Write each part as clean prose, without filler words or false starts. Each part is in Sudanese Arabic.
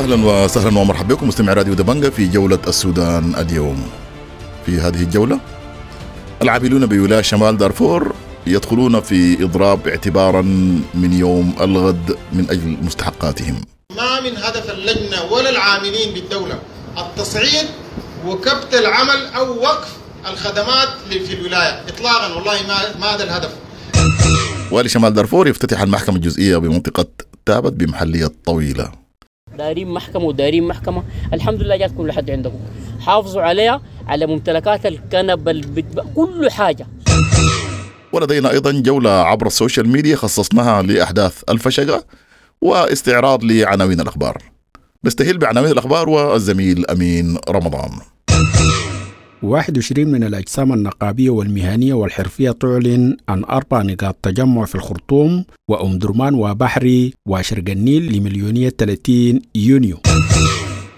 اهلا وسهلا ومرحبا بكم مستمعي راديو دبنجة في جولة السودان اليوم. في هذه الجولة العاملون بولاية شمال دارفور يدخلون في إضراب اعتبارا من يوم الغد من أجل مستحقاتهم. ما من هدف اللجنة ولا العاملين بالدولة التصعيد وكبت العمل أو وقف الخدمات في الولاية إطلاقا، والله ما هذا الهدف. والي شمال دارفور يفتتح المحكمة الجزئية بمنطقة تابت بمحلية طويلة. دارين محكمة ودارين محكمة، الحمد لله جاتكم لحد عندكم، حافظوا عليها، على ممتلكات الكنب، كل حاجة. ولدينا أيضا جولة عبر ال social media خصصناها لأحداث الفشقة واستعراض لعناوين الأخبار. نستهل بعناوين الأخبار والزميل أمين رمضان. 21 من الأجسام النقابية والمهنية والحرفية تعلن عن 4 نقاط تجمع في الخرطوم وأم درمان وبحري وشرق النيل لمليونية 30 يونيو.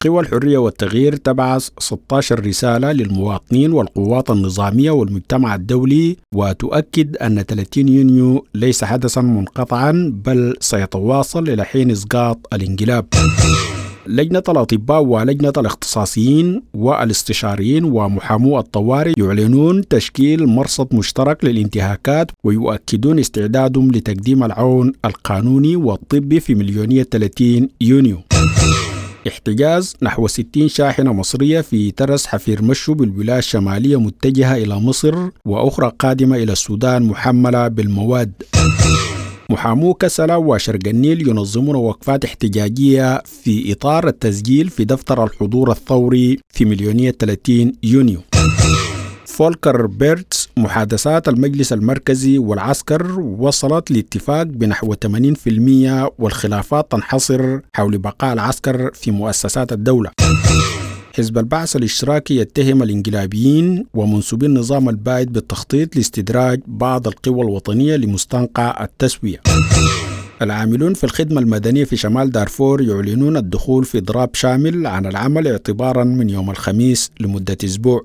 قوى الحرية والتغيير تبعث 16 رسالة للمواطنين والقوات النظامية والمجتمع الدولي، وتؤكد أن 30 يونيو ليس حدثا منقطعا بل سيتواصل إلى حين إسقاط الانقلاب. لجنة الأطباء ولجنة الاختصاصيين والاستشاريين ومحامو الطوارئ يعلنون تشكيل مرصد مشترك للانتهاكات ويؤكدون استعدادهم لتقديم العون القانوني والطبي في مليونية 30 يونيو. احتجاز نحو 60 شاحنة مصرية في ترس حفير مشو بالولاية الشمالية متجهة إلى مصر، وأخرى قادمة إلى السودان محملة بالمواد. محامو كسلا وشرق النيل ينظمون وقفات احتجاجية في إطار التسجيل في دفتر الحضور الثوري في مليونية 30 يونيو. فولكر بيرتس محادثات المجلس المركزي والعسكر وصلت لاتفاق بنحو 80%، والخلافات تنحصر حول بقاء العسكر في مؤسسات الدولة. حزب البعث الاشتراكي يتهم الانقلابيين ومنسوبي النظام البائد بالتخطيط لاستدراج بعض القوى الوطنية لمستنقع التسوية. العاملون في الخدمة المدنية في شمال دارفور يعلنون الدخول في إضراب شامل عن العمل اعتبارا من يوم الخميس لمدة أسبوع.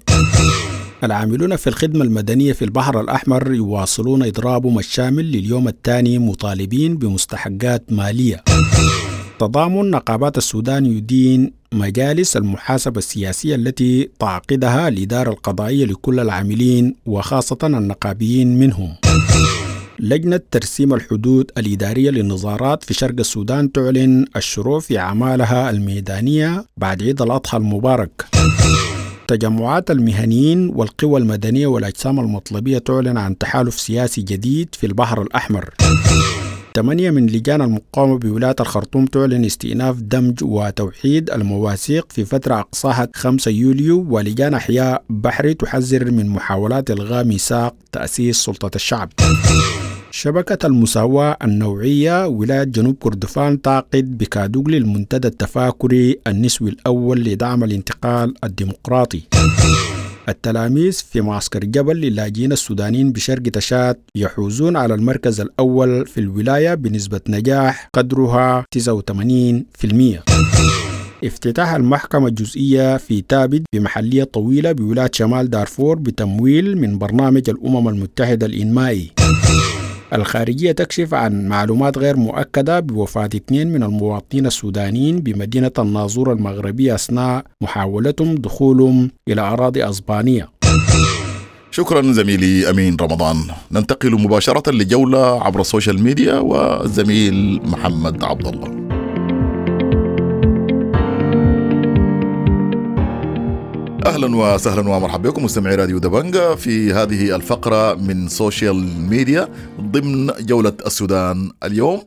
العاملون في الخدمة المدنية في البحر الأحمر يواصلون إضرابهم الشامل لليوم الثاني مطالبين بمستحقات مالية. تضامن نقابات السودان يدين مجالس المحاسبة السياسية التي تعقدها الإدارة القضائية لكل العاملين وخاصة النقابيين منهم. لجنة ترسيم الحدود الإدارية للنظارات في شرق السودان تعلن الشروع في أعمالها الميدانية بعد عيد الأضحى المبارك. تجمعات المهنيين والقوى المدنية والأجسام المطلبية تعلن عن تحالف سياسي جديد في البحر الأحمر. 8 من لجان المقاومة بولاية الخرطوم تعلن استئناف دمج وتوحيد المواثيق في فترة أقصاها 5 يوليو، ولجان أحياء بحري تحذر من محاولات إلغاء ميثاق تأسيس سلطة الشعب. شبكة المساواة النوعية ولاية جنوب كردفان تعقد بكادوغلي المنتدى التفاكري النسوي الأول لدعم الانتقال الديمقراطي. التلاميذ في معسكر جبل للاجئين السودانيين بشرق تشاد يحوزون على المركز الأول في الولاية بنسبة نجاح قدرها 89%. افتتاح المحكمة الجزئية في تابت بمحلية طويلة بولاية شمال دارفور بتمويل من برنامج الأمم المتحدة الإنمائي. الخارجية تكشف عن معلومات غير مؤكدة بوفاة 2 من المواطنين السودانيين بمدينة الناظور المغربية أثناء محاولتهم دخولهم إلى أراضي أسبانية. شكرا زميلي أمين رمضان. ننتقل مباشرة لجولة عبر ال social media والزميل محمد عبد الله. أهلا وسهلا ومرحبا بكم مستمعي راديو دبنجة في هذه الفقرة من social media ضمن جولة السودان اليوم.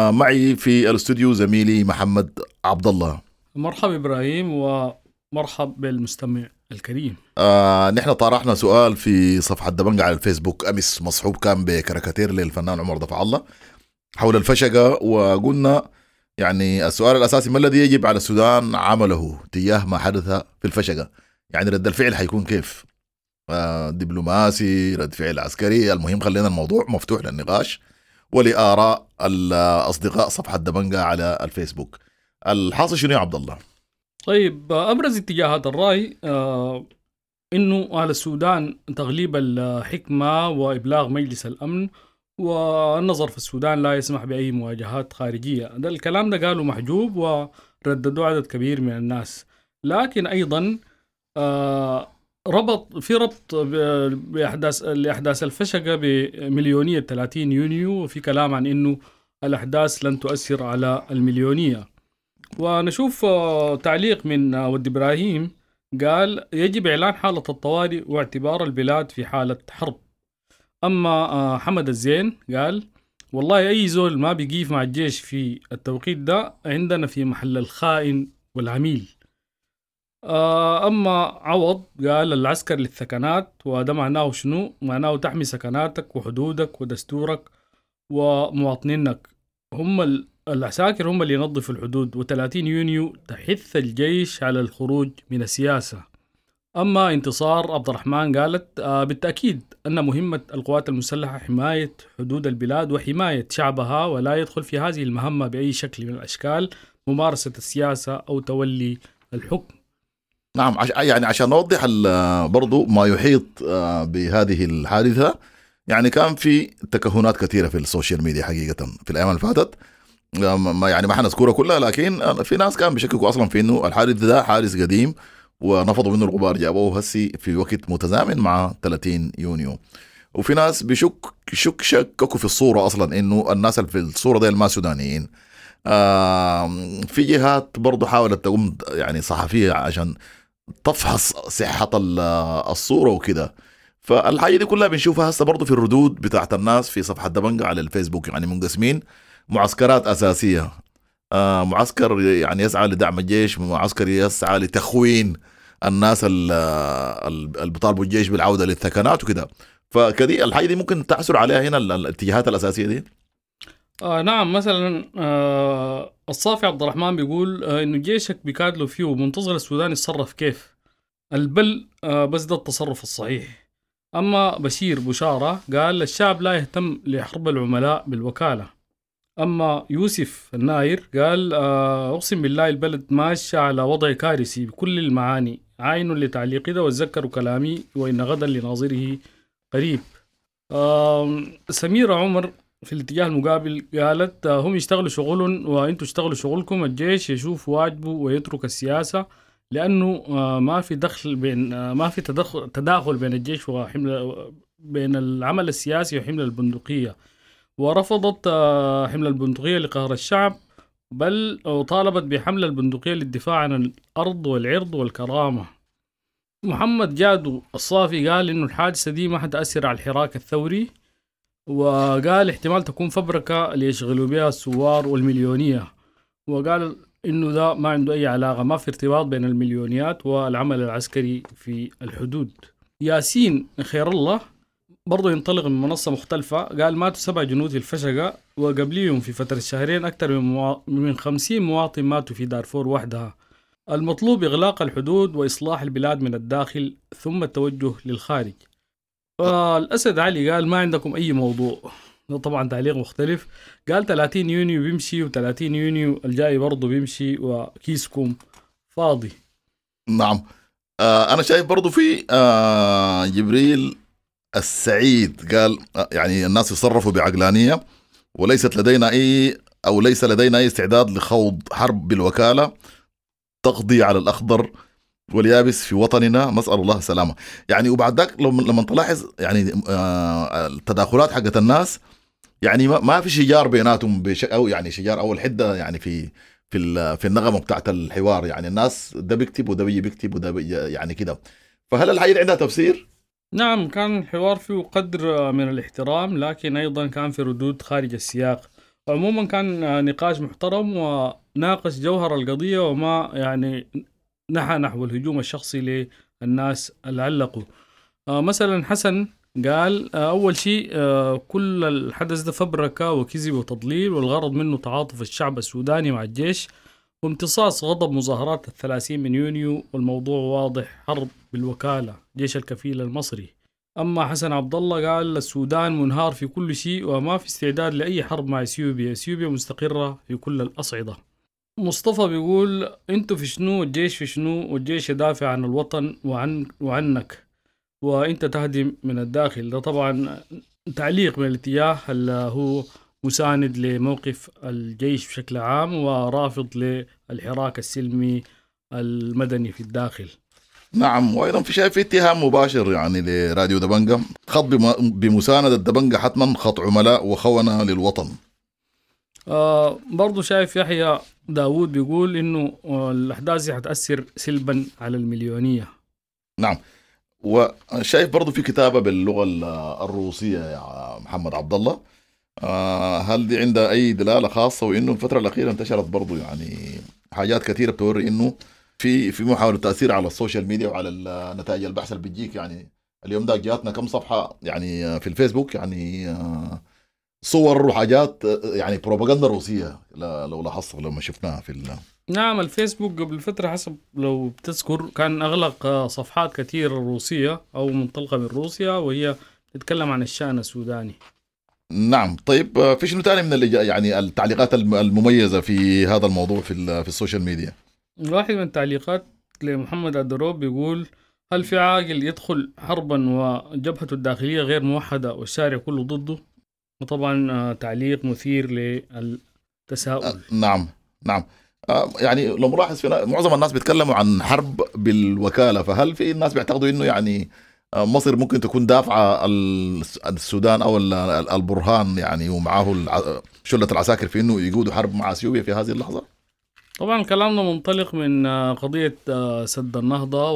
معي في الاستوديو زميلي محمد عبد الله. مرحبا إبراهيم ومرحب بالمستمع الكريم. نحن طرحنا سؤال في صفحة دبنجة على الفيسبوك أمس، مصحوب كان بكاريكاتير للفنان عمر دفع الله حول الفشقة، وقلنا يعني السؤال الأساسي ما الذي يجب على السودان عمله تجاه ما حدث في الفشقة؟ يعني رد الفعل حيكون كيف؟ دبلوماسي، رد فعل عسكري؟ المهم خلينا الموضوع مفتوح للنقاش ولآراء الأصدقاء صفحة دبنجة على الفيسبوك. الحاصل شنو يا عبد الله؟ طيب، أبرز اتجاهات الرأي إنه على السودان تغليب الحكمة وإبلاغ مجلس الأمن، والنظر في السودان لا يسمح بأي مواجهات خارجية. ده الكلام ده قاله محجوب رددوا عدد كبير من الناس. لكن أيضا ربط في ربط لأحداث الفشقة بمليونية 30 يونيو، وفي كلام عن إنه الأحداث لن تؤثر على المليونية. ونشوف تعليق من ود إبراهيم قال يجب إعلان حالة الطوارئ واعتبار البلاد في حالة حرب. أما حمد الزين قال والله أي زول ما بيقيف مع الجيش في التوقيت ده عندنا في محل الخائن والعميل. أما عوض قال العسكر للثكنات، وده معناه شنو؟ معناه تحمي سكناتك وحدودك ودستورك ومواطنينك، هم العساكر هم اللي ينظفوا الحدود. و30 يونيو تحث الجيش على الخروج من السياسة. أما انتصار عبد الرحمن قالت بالتأكيد أن مهمة القوات المسلحة حماية حدود البلاد وحماية شعبها، ولا يدخل في هذه المهمة بأي شكل من الأشكال ممارسة السياسة أو تولي الحكم. نعم، يعني عشان نوضح برضو ما يحيط بهذه الحادثة، يعني كان في تكهنات كثيرة في ال social media حقيقة في الأيام اللي فاتت، ما يعني ما حنذكرها كلها، لكن في ناس كان بيشككوا أصلا في إنه الحادث ده حادث قديم ونفضوا منه الغبار، جابوه هسي في وقت متزامن مع 30 يونيو. وفي ناس بيشك شك شككوا في الصورة أصلا إنه الناس اللي في الصورة دي ما سودانيين. في جهات برضو حاولت تقوم يعني صحفية عشان تفحص صحة الصورة وكده. فالحاجة دي كلها بنشوفها هسه برضو في الردود بتاعت الناس في صفحة دبنجة على الفيسبوك، يعني منقسمين معسكرات أساسية، معسكر يعني يسعى لدعم الجيش، معسكر يسعى لتخوين الناس اللي بيطالبوا الجيش بالعودة للثكنات وكده. فكدي الحاجة دي ممكن تعثر عليها هنا الاتجاهات الأساسية دي. نعم، مثلا الصافي عبد الرحمن بيقول إنه جيشك بيكادلوا فيه ومنتظر السودان يتصرف كيف البل، بس ده التصرف الصحيح. أما بشير بشارة قال الشعب لا يهتم لحرب العملاء بالوكالة. أما يوسف الناير قال أقسم بالله البلد ماشية على وضع كارثي بكل المعاني، عاينوا لتعليقي ده وتذكروا كلامي وإن غدا لناظره قريب. سميرة عمر في الاتجاه المقابل قالت هم يشتغلوا شغلهم وانتوا اشتغلوا شغلكم، الجيش يشوف واجبه ويترك السياسة، لأنه ما في دخل بين ما في تداخل بين الجيش وحمل بين العمل السياسي وحمل البندقية. ورفضت حمل البندقية لقهر الشعب، بل طالبت بحمل البندقية للدفاع عن الأرض والعرض والكرامة. محمد جادو الصافي قال إنه الحادثة دي ما حتأثر على الحراك الثوري، وقال احتمال تكون فبركة ليشغلوا بها الثوار والمليونية، وقال إنه ده ما عنده أي علاقة، ما في ارتباط بين المليونيات والعمل العسكري في الحدود. ياسين خير الله برضو ينطلق من منصة مختلفة، قال ماتوا 7 جنود في الفشقة، وقبليهم في فترة شهرين أكثر من 50 مواطن ماتوا في دارفور وحدها. المطلوب إغلاق الحدود وإصلاح البلاد من الداخل ثم التوجه للخارج. الأسد علي قال ما عندكم أي موضوع، طبعا تعليق مختلف، قال 30 يونيو بيمشي و30 يونيو الجاي برضو بيمشي وكيسكم فاضي. نعم، أنا شايف برضو في جبريل السعيد قال يعني الناس يتصرفوا بعقلانية، وليست لدينا أي أو ليس لدينا أي استعداد لخوض حرب بالوكالة تقضي على الأخضر واليابس في وطننا، نسأل الله السلامة. يعني وبعد ذاك لما تلاحظ يعني التداخلات حقت الناس، يعني ما في شجار بيناتهم أو يعني شجار أو الحدة يعني في في في النغمة بتاعت الحوار، يعني الناس ده بيكتب وده بيجي بيكتب وده يعني كده. فهل الحاجة عندها تفسير؟ نعم، كان الحوار فيه قدر من الاحترام، لكن أيضا كان في ردود خارج السياق. عموما كان نقاش محترم وناقش جوهر القضية، وما يعني نحى نحو الهجوم الشخصي للناس اللي علقوا. مثلا حسن قال أول شيء كل الحدث ده فبركة وكذب وتضليل، والغرض منه تعاطف الشعب السوداني مع الجيش وامتصاص غضب مظاهرات 30 من يونيو، والموضوع واضح، حرب بالوكالة، جيش الكفيل المصري. أما حسن عبد الله قال السودان منهار في كل شيء وما في استعداد لأي حرب مع إثيوبيا، إثيوبيا مستقرة في كل الأصعدة. مصطفى بيقول انتوا في شنو، الجيش في شنو، والجيش يدافع عن الوطن وعنك وانت تهدم من الداخل. ده طبعا تعليق من الاتجاه اللي هو مساند لموقف الجيش بشكل عام ورافض للحراك السلمي المدني في الداخل. نعم، وايضا في شايف في اتهام مباشر يعني لراديو دبنجة، خط بمساندة دبنجة حتما خط عملاء وخونة للوطن. برضو شايف يحيى داوود بيقول انه الاحداث دي حتأثر سلبا على المليونية. نعم، وشايف برضو في كتابة باللغة الروسية يا محمد عبد الله، هل دي عندها أي دلالة خاصة؟ وإنه الفترة الأخيرة انتشرت برضو يعني حاجات كثيرة بتوري إنه في محاولة تأثير على ال social media وعلى نتائج البحث اللي بتجيك. يعني اليوم ده جاتنا كم صفحة يعني في الفيسبوك يعني صور وحاجات يعني بروباغندا روسية، لو لاحظت لما شفناها في نعم، الفيسبوك قبل فترة حسب لو بتذكر كان أغلق صفحات كثيرة روسية أو منطلقة من روسيا وهي تتكلم عن الشأن السوداني. نعم، طيب في شنو تاني من يعني التعليقات المميزة في هذا الموضوع في ال social media؟ واحد من التعليقات لمحمد الدروب بيقول: هل في عاقل يدخل حربا وجبهته الداخلية غير موحدة والشارع كله ضده؟ وطبعا تعليق مثير للتساؤل. نعم نعم، يعني لو ملاحظ في معظم الناس بيتكلموا عن حرب بالوكالة، فهل في الناس بيعتقدوا انه يعني مصر ممكن تكون دافعة السودان او البرهان يعني ومعاه شلة العساكر في انه يقودوا حرب مع اثيوبيا في هذه اللحظة؟ طبعا كلامنا منطلق من قضية سد النهضة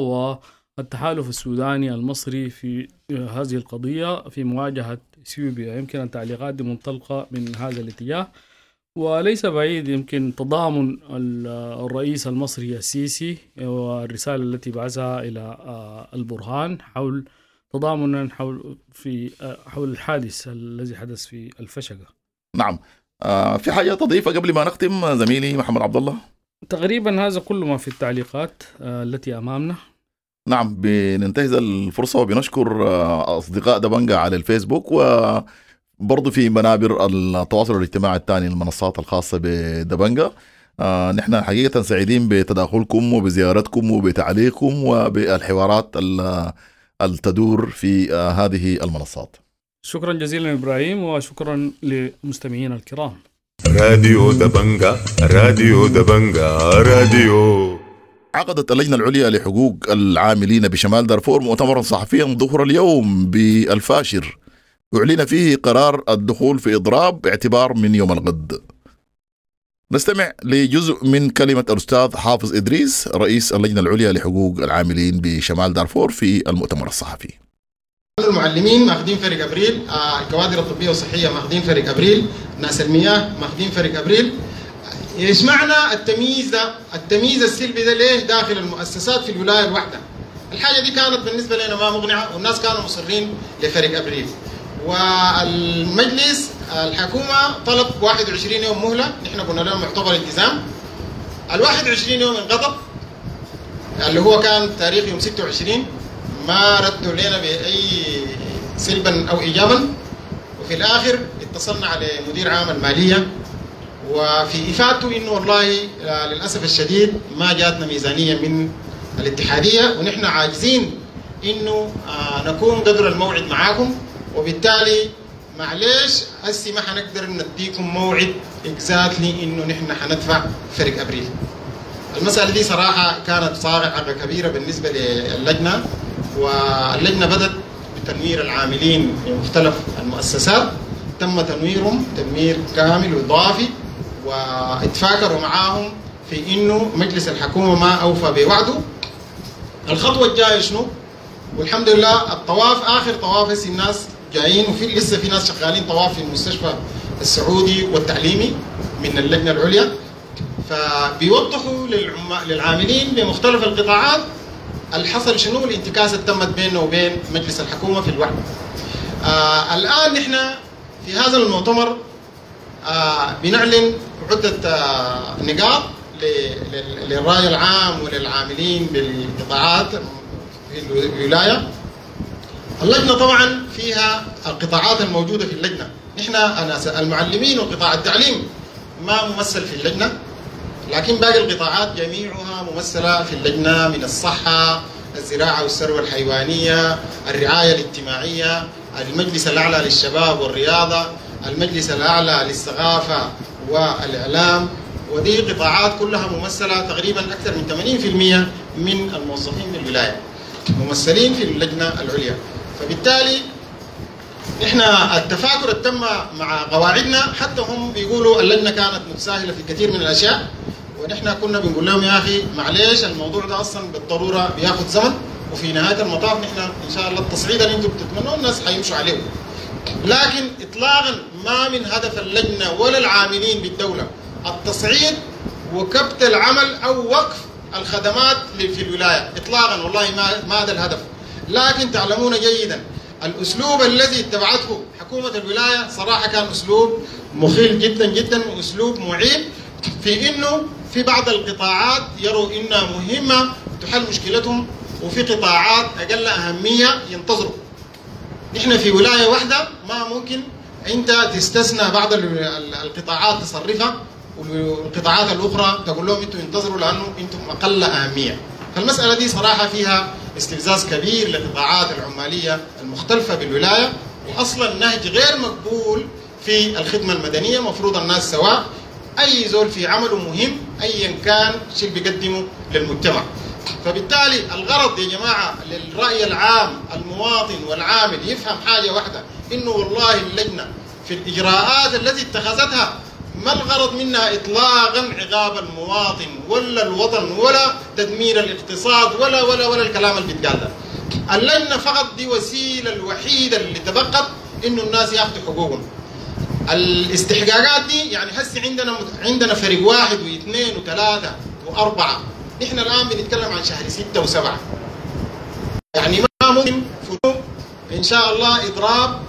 والتحالف السوداني المصري في هذه القضية في مواجهة اثيوبيا. يمكن التعليقات دي منطلقة من هذا الاتجاه، وليس بعيد يمكن تضامن الرئيس المصري السيسي والرسالة التي بعثها إلى البرهان حول تضامنا حول الحادث الذي حدث في الفشقة. نعم، في حاجة تضيفها قبل ما نختم زميلي محمد عبد الله؟ تقريبا هذا كل ما في التعليقات التي أمامنا. نعم، بننتهز الفرصة وبنشكر أصدقاء دبنجة على الفيسبوك وبرضو في منابر التواصل الاجتماعي الثاني المنصات الخاصة بدبنجة. نحن حقيقة سعيدين بتداخلكم وبزيارتكم وبتعليقكم وبالحوارات التدور في هذه المنصات. شكرا جزيلا إبراهيم، وشكرا للمستمعين الكرام. راديو دبنجة، راديو دبنجة، راديو. عقدت اللجنة العليا لحقوق العاملين بشمال دارفور مؤتمرا صحفيا ظهر اليوم بالفاشر أعلن فيه قرار الدخول في إضراب باعتبار من يوم الغد. نستمع لجزء من كلمة الأستاذ حافظ إدريس رئيس اللجنة العليا لحقوق العاملين بشمال دارفور في المؤتمر الصحفي. المعلمين ماخذين فرق ابريل، الكوادر الطبية والصحية ماخذين فرق ابريل، ناس المياه ماخذين فرق ابريل. ايش معنى التمييز ده؟ التمييز السلبي ده ليه داخل المؤسسات في الولاية الواحدة؟ الحاجة دي كانت بالنسبة لنا ما مقنعة، والناس كانوا مصرين لفرق ابريل. والمجلس الحكومة طلب 21 يوم مهله، نحن قلنا لهم معتبر التزام. ال 21 يوم انقضت اللي هو كان تاريخ يوم 26، ما ردوا لنا بأي سلبا أو إيجابا. وفي الآخر اتصلنا على مدير عام المالية، وفي إفادته إنه والله للأسف الشديد ما جاتنا ميزانية من الاتحادية، ونحن عاجزين إنه نكون قدر الموعد معاكم، وبالتالي معليش هسي ما حنقدر نديكم موعد exactly إنه نحن حندفع فرق أبريل. المسألة دي صراحة كانت صاعقة كبيرة بالنسبة للجنة، واللجنة بدأت بتنوير العاملين في مختلف المؤسسات، تم تنويرهم تنوير كامل وإضافي، واتفاكروا معاهم في إنه مجلس الحكومة ما أوفى بوعده. الخطوة الجاية شنو؟ والحمد لله الطواف آخر طواف هسي الناس جايين، وفي لسه في ناس شغالين طواف في المستشفى السعودي والتعليمي من اللجنة العليا، فبيوضحوا للعاملين بمختلف القطاعات الحصل شنو، الانتكاسة تمت بيننا وبين مجلس الحكومة في الوعد. الآن نحن في هذا المؤتمر بنعلن عدة نقاط للرأي العام وللعاملين بالقطاعات في الولاية. اللجنة طبعا فيها القطاعات الموجودة في اللجنة، نحن المعلمين وقطاع التعليم ما ممثل في اللجنة، لكن باقي القطاعات جميعها ممثلة في اللجنة، من الصحة، الزراعة والثروة الحيوانية، الرعاية الاجتماعية، المجلس الأعلى للشباب والرياضة، المجلس الأعلى للثقافة والإعلام، ودي قطاعات كلها ممثلة تقريبا أكثر من 80% من الموظفين بالولاية ممثلين في اللجنة العليا. فبالتالي نحن التفاكر تم مع قواعدنا، حتى هم بيقولوا اللجنة كانت متساهلة في كثير من الأشياء، ونحن كنا بنقول لهم يا أخي معليش الموضوع ده أصلا بالضرورة بياخذ زمن، وفي نهاية المطاف نحن إن شاء الله التصعيد اللي أنتم بتتمنوه الناس حيمشوا عليه. لكن إطلاقا ما من هدف اللجنة ولا العاملين بالدولة التصعيد وكبت العمل أو وقف الخدمات في الولاية إطلاقا، والله ما هذا الهدف. لكن تعلمون جيدا الأسلوب الذي اتبعته حكومة الولاية صراحة كان أسلوب مخيل جدا جدا، وأسلوب معيب في إنه في بعض القطاعات يروا إنها مهمة تحل مشكلتهم، وفي قطاعات أقل أهمية ينتظروا. نحن في ولاية واحدة ما ممكن أنت تستثنى بعض القطاعات تصرفها والقطاعات الأخرى تقول لهم أنتم انتظروا لأنه أنتم أقل أهمية. فالمسألة دي صراحة فيها استفزاز كبير للقطاعات العمالية المختلفة بالولاية، وأصلا نهج غير مقبول في الخدمة المدنية. مفروض الناس سواء، أي زول في عمله مهم أيا كان شيء بيقدمه للمجتمع. فبالتالي الغرض يا جماعة للرأي العام المواطن والعامل يفهم حاجة واحدة، إنه والله اللجنة في الإجراءات التي اتخذتها ما الغرض منها إطلاقا عقاب المواطن ولا الوطن ولا تدمير الاقتصاد ولا ولا ولا الكلام اللي بيتقال ده. اللجنة فقط دي وسيلة الوحيدة اللي تبقت إنه الناس ياخذوا حقوقهم. الاستحقاقات دي يعني هسه عندنا فريق 1 و2 و3 و4، نحن الآن بنتكلم عن شهر 6 و7، يعني ما ممكن إن شاء الله إضراب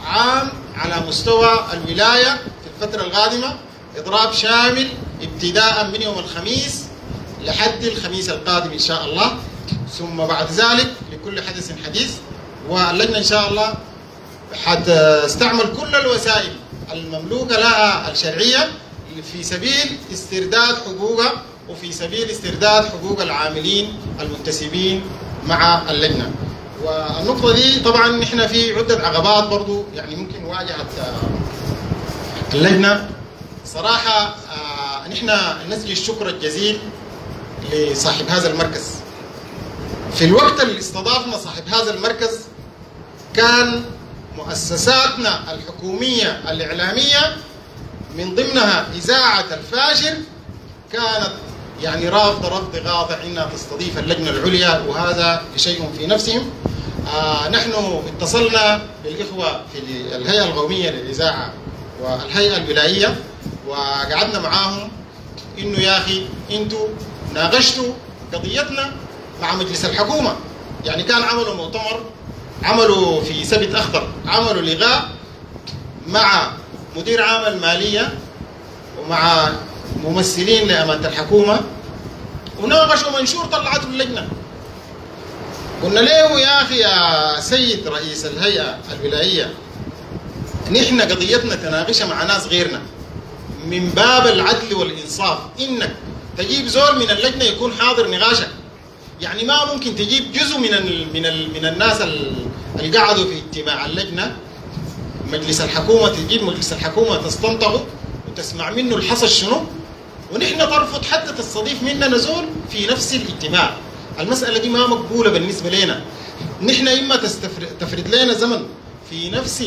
عام على مستوى الولاية في الفترة القادمة، إضراب شامل ابتداء من يوم الخميس لحد الخميس القادم إن شاء الله، ثم بعد ذلك لكل حدث حديث. واللجنة إن شاء الله حتستعمل كل الوسائل المملوكة لها الشرعية في سبيل استرداد حقوقها وفي سبيل استرداد حقوق العاملين المنتسبين مع اللجنة. والنقطة دي طبعا نحن في عدة عقبات برضو يعني ممكن واجهت اللجنة صراحة. نحن نسجي الشكر الجزيل لصاحب هذا المركز. في الوقت اللي استضافنا صاحب هذا المركز كان مؤسساتنا الحكومية الإعلامية من ضمنها إذاعة الفاشر كانت يعني رافضة رفض قاطع إنها تستضيف اللجنة العليا، وهذا شيء في نفسهم. نحن اتصلنا بالإخوة في الهيئة القومية للإذاعة والهيئة الولائية وقعدنا معاهم إنه يا أخي أنتوا ناقشتوا قضيتنا مع مجلس الحكومة، يعني كان عملوا مؤتمر، عملوا في سبت أخضر، عملوا لقاء مع مدير عام المالية ومع ممثلين لأمانة الحكومة وناقشوا منشور طلعته اللجنة. قلنا له يا أخي يا سيد رئيس الهيئة الولائية، نحن قضيتنا تناقشها مع ناس غيرنا من باب العدل والإنصاف، إنك تجيب زول من اللجنة يكون حاضر نقاشك. يعني ما ممكن تجيب جزء من ال من ال من الناس اللي قعدوا في اجتماع اللجنة مجلس الحكومة، تجيب مجلس الحكومة تستنطقه وتسمع منه الحصل شنو، ونحن ترفض حتى تستضيف مننا زول في نفس الاجتماع. المسألة دي ما مقبولة بالنسبة لنا. نحن إما تفرد لنا زمن في نفس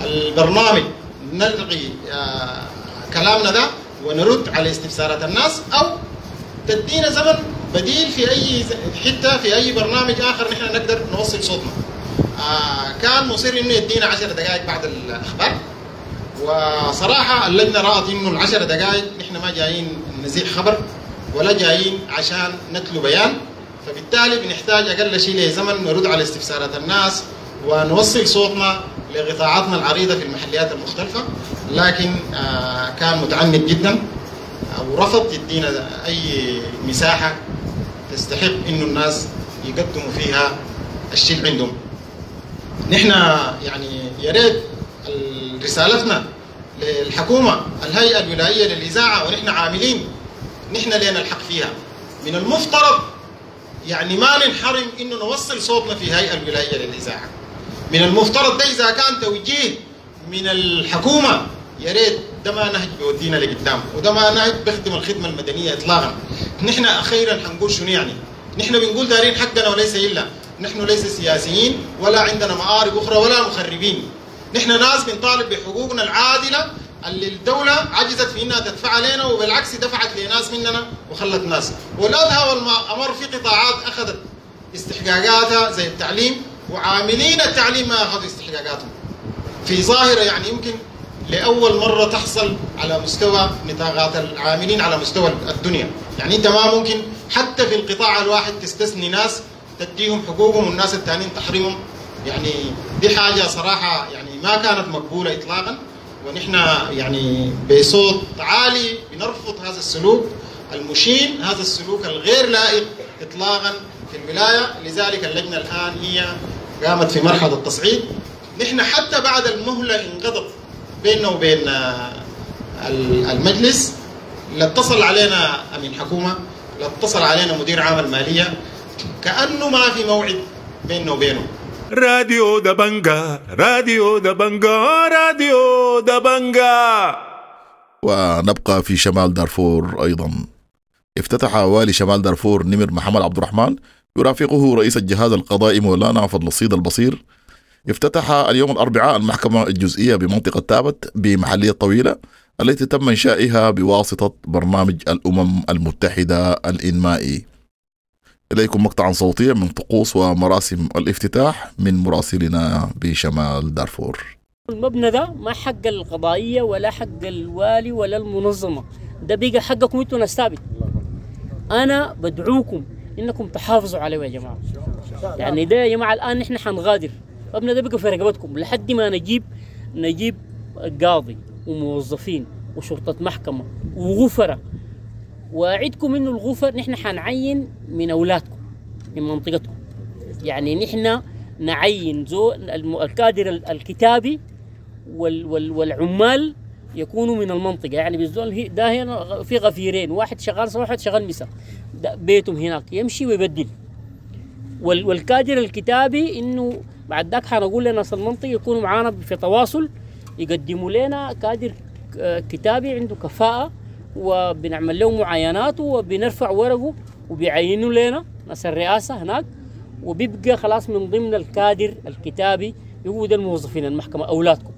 البرنامج نلغي كلامنا ده ونرد على استفسارات الناس، أو تدينا زمن بديل في أي حتة في أي برنامج آخر نحن نقدر نوصل صوتنا. كان مصير إنه يدينا 10 دقائق بعد الأخبار، وصراحة اللجنة رأت إنه 10 دقائق نحن ما جايين نزيح خبر ولا جايين عشان نتلو بيان، فبالتالي بنحتاج أقل شيء لزمن نرد على استفسارات الناس ونوصل صوتنا لقطاعاتنا العريضة في المحليات المختلفة. لكن كان متعنت جدا ورفض يدينا أي مساحة تستحق إنه الناس يقدموا فيها الشيء اللي عندهم. نحن يعني يا ريت رسالتنا للحكومة الهيئة الولائية للإذاعة، ونحن عاملين نحن لنا الحق فيها، من المفترض يعني ما ننحرم إنه نوصل صوتنا في هيئة الولائية للإذاعة. من المفترض ده إذا كان توجيه من الحكومة. يا ريت ده ما نهج بيودينا لقدام، وده ما نهج بيخدم الخدمة المدنية اطلاقا. نحن اخيرا حنقول شنو يعني؟ نحن بنقول دارين حقنا وليس الا، نحن ليس سياسيين ولا عندنا مآرب اخرى ولا مخربين. نحن ناس بنطالب بحقوقنا العادلة اللي الدولة عجزت في انها تدفع لنا، وبالعكس دفعت لناس مننا وخلت ناس. والادهى والامر في قطاعات اخذت استحقاقاتها زي التعليم، وعاملين التعليم ما اخذوا استحقاقاتهم. في ظاهره يعني يمكن لاول مرة تحصل على مستوى نطاقات العاملين على مستوى الدنيا. يعني انت ما ممكن حتى في القطاع الواحد تستثني ناس تديهم حقوقهم والناس الثانيين تحرمهم. يعني دي حاجة صراحة يعني ما كانت مقبولة اطلاقا، ونحن يعني بصوت عالي بنرفض هذا السلوك المشين، هذا السلوك الغير لائق اطلاقا في الولاية. لذلك اللجنة الان هي قامت في مرحلة التصعيد. نحن حتى بعد المهلة انقضت بيننا وبين المجلس، لا اتصل علينا امين حكومة، لا اتصل علينا مدير عام المالية، كانه ما في موعد بيننا وبينه. راديو دبنجا، راديو دبنجا، راديو دبنجا. ونبقى في شمال دارفور أيضا. افتتح والي شمال دارفور نمر محمد عبد الرحمن يرافقه رئيس الجهاز القضائي مولانا فضل الصيد البصير، افتتح اليوم الأربعاء المحكمة الجزئية بمنطقة تابت بمحلية طويلة التي تم إنشائها بواسطة برنامج الأمم المتحدة الإنمائي. إليكم مقطعا صوتيا من طقوس ومراسم الافتتاح من مراسلنا بشمال دارفور. المبنى ده ما حق القضائية ولا حق الوالي ولا المنظمة، ده بقى حقكم انتوا ناس ثابت. أنا بدعوكم إنكم تحافظوا عليه يا جماعة. يعني ده يا جماعة الآن نحن حنغادر، المبنى ده بقى في رقبتكم لحد ما نجيب قاضي وموظفين وشرطة محكمة وغفرة. وأعدكم إنه الغفر نحن حنعين من أولادكم من منطقتكم. يعني نحن نعين الكادر الكتابي والعمال يكونوا من المنطقة. يعني بالزول ده هنا في غفيرين، واحد شغال صباح واحد شغال مساء، بيتهم هناك يمشي ويبدل. والكادر الكتابي إنه بعد ذاك حنقول لناس المنطقة يكونوا معانا في تواصل، يقدموا لنا كادر كتابي عنده كفاءة، وبنعمل له معاينات وبنرفع ورقة وبيعينوا لنا ناس الرئاسة هناك، وبيبقى خلاص من ضمن الكادر الكتابي. هو ده الموظفين المحكمة أولادكم.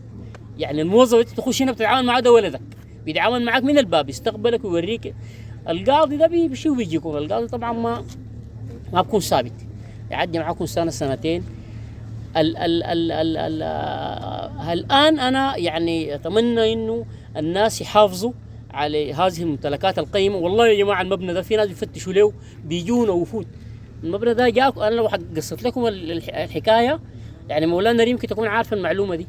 يعني الموظف انت تخش هنا بتتعامل معاه، ده ولدك بيتعامل معاك من الباب، يستقبلك ويوريك. القاضي ده بيمشي وبيجيكم. القاضي طبعا ما بكون ثابت، يعدي معاكم سنة سنتين. ال ال ال ال ال الآن أنا يعني أتمنى إنه الناس يحافظوا على هذه الممتلكات القيمة. والله يا جماعة المبنى ده في ناس بيفتشوا له، بيجونا وفود. المبنى ده جاك، أنا لو قصت لكم الحكاية يعني مولانا ريم يمكن تكون عارفة المعلومة دي.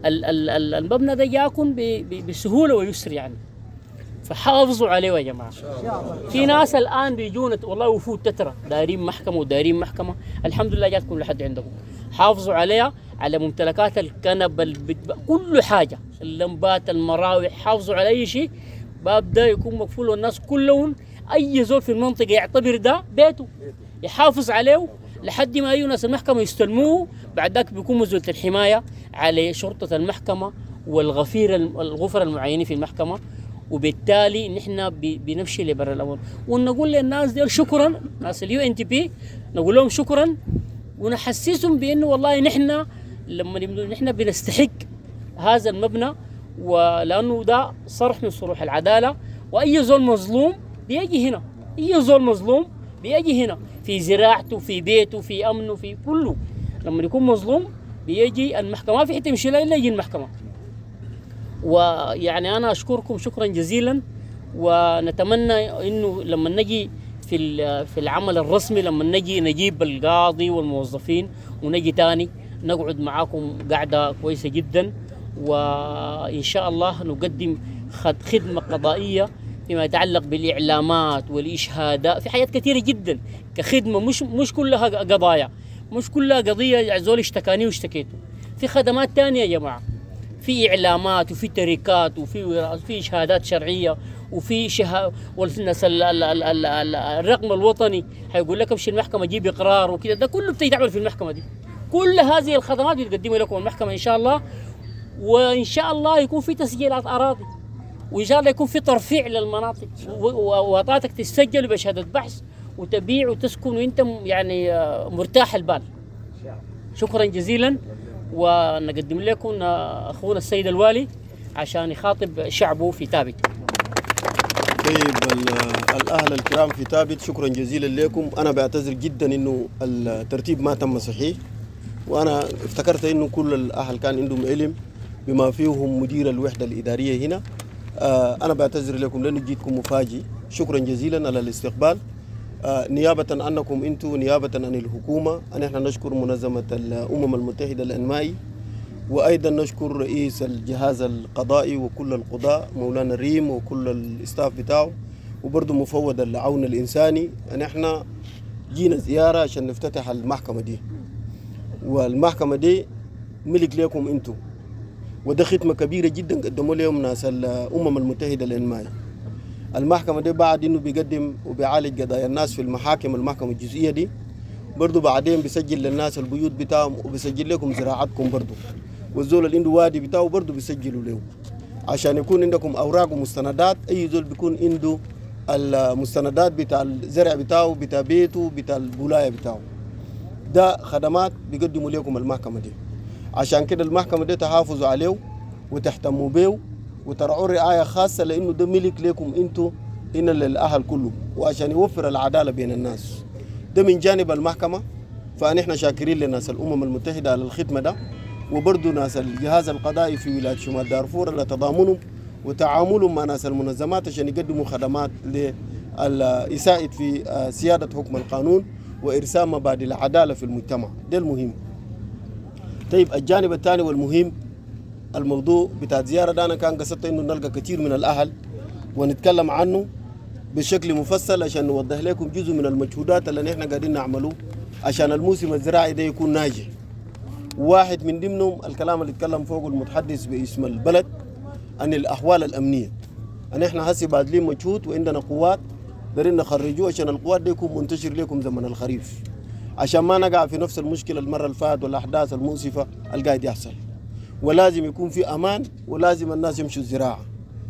المبنى ده جاكم بسهولة ويسر يعني، فحافظوا عليه يا جماعة. في ناس الآن بيجونا والله وفود تترى دارين محكمة ودارين محكمة، الحمد لله جاتكم لحد عندكم. حافظوا عليها، على ممتلكات الكنب، كل حاجة، اللمبات، المراوح، حافظوا على أي شيء. باب ده يكون مقفول والناس كلهم أي زول في المنطقة يعتبر ده بيته، يحافظ عليه لحد ما أي ناس المحكمة يستلموه. بعد ذاك بيكون مزولة الحماية على شرطة المحكمة والغفير الغفر المعينين في المحكمة، وبالتالي نحن بنمشي لبر الأمر. ونقول للناس دي شكرا، ناس الUNDP نقول لهم شكرا، ونحسسهم بأنه والله نحن لما نحن بنستحق هذا المبنى، ولأنه ده صرح من صروح العدالة. وأي زول مظلوم بيجي هنا، أي زول مظلوم بيجي هنا في زراعته، في بيته، في أمنه، في كله. لما يكون مظلوم بيجي المحكمة، ما في حتة يمشي لها إلا يجي المحكمة. ويعني أنا أشكركم شكرا جزيلا، ونتمنى إنه لما نجي في العمل الرسمي، لما نجي نجيب القاضي والموظفين ونجي تاني نقعد معاكم قعدة كويسة جدا، وإن شاء الله نقدم خدمة قضائية فيما يتعلق بالإعلامات والإشهادات في حاجات كثيرة جدا كخدمة، مش كلها قضايا، مش كلها قضية زول اشتكاني واشتكيته. في خدمات تانية يا جماعة، في إعلامات وفي تركات وفي إشهادات شرعية وفي والناس الرقم الوطني هيقول لك امشي المحكمة جيب إقرار وكده، ده كله بتتعمل في المحكمة دي. كل هذه الخدمات بتقدمها لكم المحكمة إن شاء الله. وان شاء الله يكون في تسجيلات اراضي، وان شاء الله يكون في ترفيع للمناطق، وطاتك تسجل بشهادة بحث وتبيع وتسكن وانت يعني مرتاح البال. شكرا جزيلا، ونقدم لكم اخونا السيد الوالي عشان يخاطب شعبه في تابت. طيب الاهل الكرام في تابت، شكرا جزيلا لكم. انا بعتذر جدا انه الترتيب ما تم صحيح، وانا افتكرت انه كل الاهل كان عندهم علم بما فيهم مدير الوحدة الادارية هنا. انا بعتذر لكم لانه جيتكم مفاجئ. شكرا جزيلا على الاستقبال. نيابة عنكم انتم، نيابة عن الحكومة، نحن نشكر منظمة الامم المتحدة الانمائي، وايضا نشكر رئيس الجهاز القضائي وكل القضاء مولانا ريم وكل ال staff بتاعه، وبرضه مفوض العون الانساني. نحن جينا زيارة عشان نفتتح المحكمة دي، والمحكمة دي ملك لكم انتم، وده خدمة كبيرة جدا قدموا لهم ناس الامم المتحدة الانمائي. المحكمة دي بعد انه بيقدم وبيعالج قضايا الناس في المحاكم، المحكمة الجزئية دي برضه بعدين بيسجل للناس البيوت بتاعهم، وبيسجل لكم زراعتكم برضه، والزول اللي عنده وادي بتاعه برضه بيسجلوا له، عشان يكون عندكم اوراق ومستندات. اي زول بيكون عنده المستندات بتاع الزرع بتاعه، بتاع بيته، بتاع الولاية بتاعه. ده خدمات بيقدموا لكم المحكمة دي. عشان كده المحكمة دي تحافظوا عليه وتهتموا بيه وترعوا رعاية خاصة، لانه ده ملك لكم انتوا هنا للاهل كله، وعشان يوفر العدالة بين الناس. ده من جانب المحكمة. فنحن شاكرين لناس الامم المتحدة على الخدمة ده، وبرضه ناس الجهاز القضائي في ولاية شمال دارفور على تضامنهم وتعاملهم مع ناس المنظمات عشان يقدموا خدمات يساعد في سيادة حكم القانون وإرسام مبادئ العدالة في المجتمع. ده المهم. طيب الجانب الثاني والمهم، الموضوع بتاع الزيارة ده أنا كان قصدت إنه نلقى كثير من الأهل ونتكلم عنه بشكل مفصل عشان نوضح لكم جزء من المجهودات اللي نحن قاعدين نعمله عشان الموسم الزراعي ده يكون ناجح. واحد من ضمنهم الكلام اللي اتكلم فوق المتحدث باسم البلد عن الأحوال الأمنية. أن احنا هسي باذلين مجهود وعندنا قوات دارين نخرجوه عشان القوات دي يكون منتشر لكم زمن الخريف، عشان ما نقع في نفس المشكلة المرة اللي فاتت والأحداث المؤسفة اللي قاعد يحصل. ولازم يكون في أمان، ولازم الناس يمشوا الزراعة،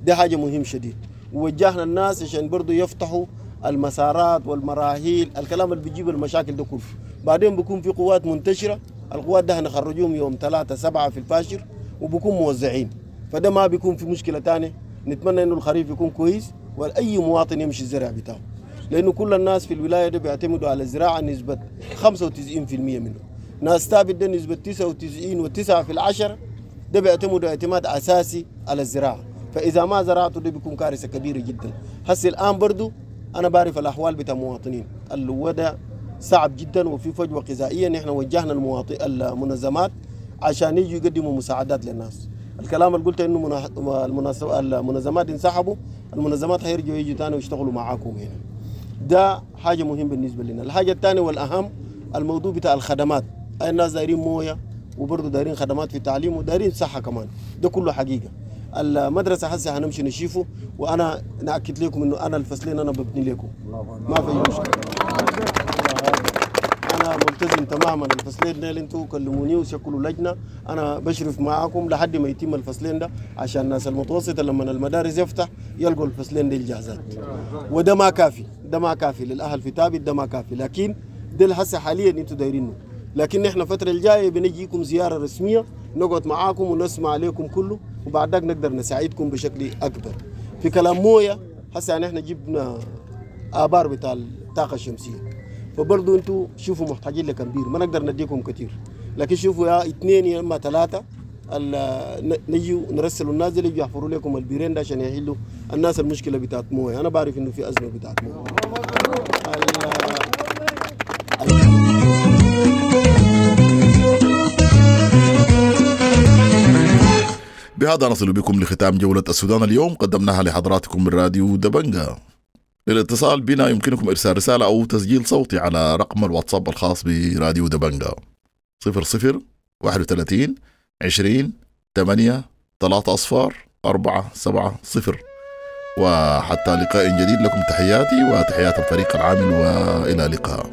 دي حاجة مهم شديد. ووجهنا الناس عشان برضو يفتحوا المسارات والمراحيل، الكلام اللي بيجيب المشاكل ده كله. بعدين بيكون في قوات منتشرة، القوات ده هنخرجوهم يوم 3/7 في الفاشر وبكون موزعين، فده ما بيكون في مشكلة تانية. نتمنى انه الخريف يكون كويس واي مواطن يمشي الزرع بتاعه، لانه كل الناس في الولاية دي بيعتمدوا على الزراعة نسبة 95% منه. ناس تابت ده نسبة 99.9 ده بيعتمدوا اعتماد اساسي على الزراعة، فاذا ما زرعته ده بيكون كارثة كبيرة جدا. هسه الان برضو انا بعرف الاحوال بتاع المواطنين، الوضع صعب جدا وفي فجوة غذائية. نحن وجهنا المنظمات عشان يجوا يقدموا مساعدات للناس. الكلام اللي قلته انه المنظمات انسحبوا، المنظمات هيرجعوا يجوا تاني ويشتغلوا معاكم هنا. ده حاجة مهم بالنسبة لنا. الحاجة الثانية والاهم الموضوع بتاع الخدمات. الناس دايرين مويه، وبرضه دايرين خدمات في التعليم، ودايرين صحة كمان. ده كله حقيقة. المدرسة هسه هنمشي نشوفه، وانا ناكد لكم انه انا الفصلين انا ببني لكم، ما في مشكلة، انا ملتزم تماما. الفصلين ده اللي انتوا كلموني وشكلوا لجنة، انا بشرف معاكم لحد ما يتم الفصلين ده، عشان الناس المتوسطة لما المدارس يفتح يلقوا الفصلين دي الجاهزات. وده ما كافي، ده ما كافي للاهل في تابت، ده ما كافي، لكن ده هسه حاليا انتوا دايرينه. لكن احنا الفترة الجاية بنجيكم زيارة رسمية، نقعد معاكم ونسمع عليكم كله، وبعد ذاك نقدر نساعدكم بشكل اكبر. في كلام مويه، هسه يعني احنا جبنا ابار بتاع الطاقة الشمسية، فبرضه انتوا شوفوا محتاجين لكم بير، ما نقدر نديكم كثير، لكن شوفوا يا 2 يا اما 3 نجي نرسلوا الناس اللي يجوا يحفروا لكم البيرين ده عشان يحلوا الناس المشكلة بتاعت مويه. انا بعرف انه في ازمة بتاعت مويه. بهذا نصل بكم لختام جولة السودان اليوم، قدمناها لحضراتكم من راديو دبنجا. للاتصال بنا يمكنكم إرسال رسالة أو تسجيل صوتي على رقم الواتساب الخاص براديو دبنجا 00 31 20 8 3 0 4 7 0. وحتى لقاء جديد، لكم تحياتي وتحيات الفريق العامل، وإلى اللقاء.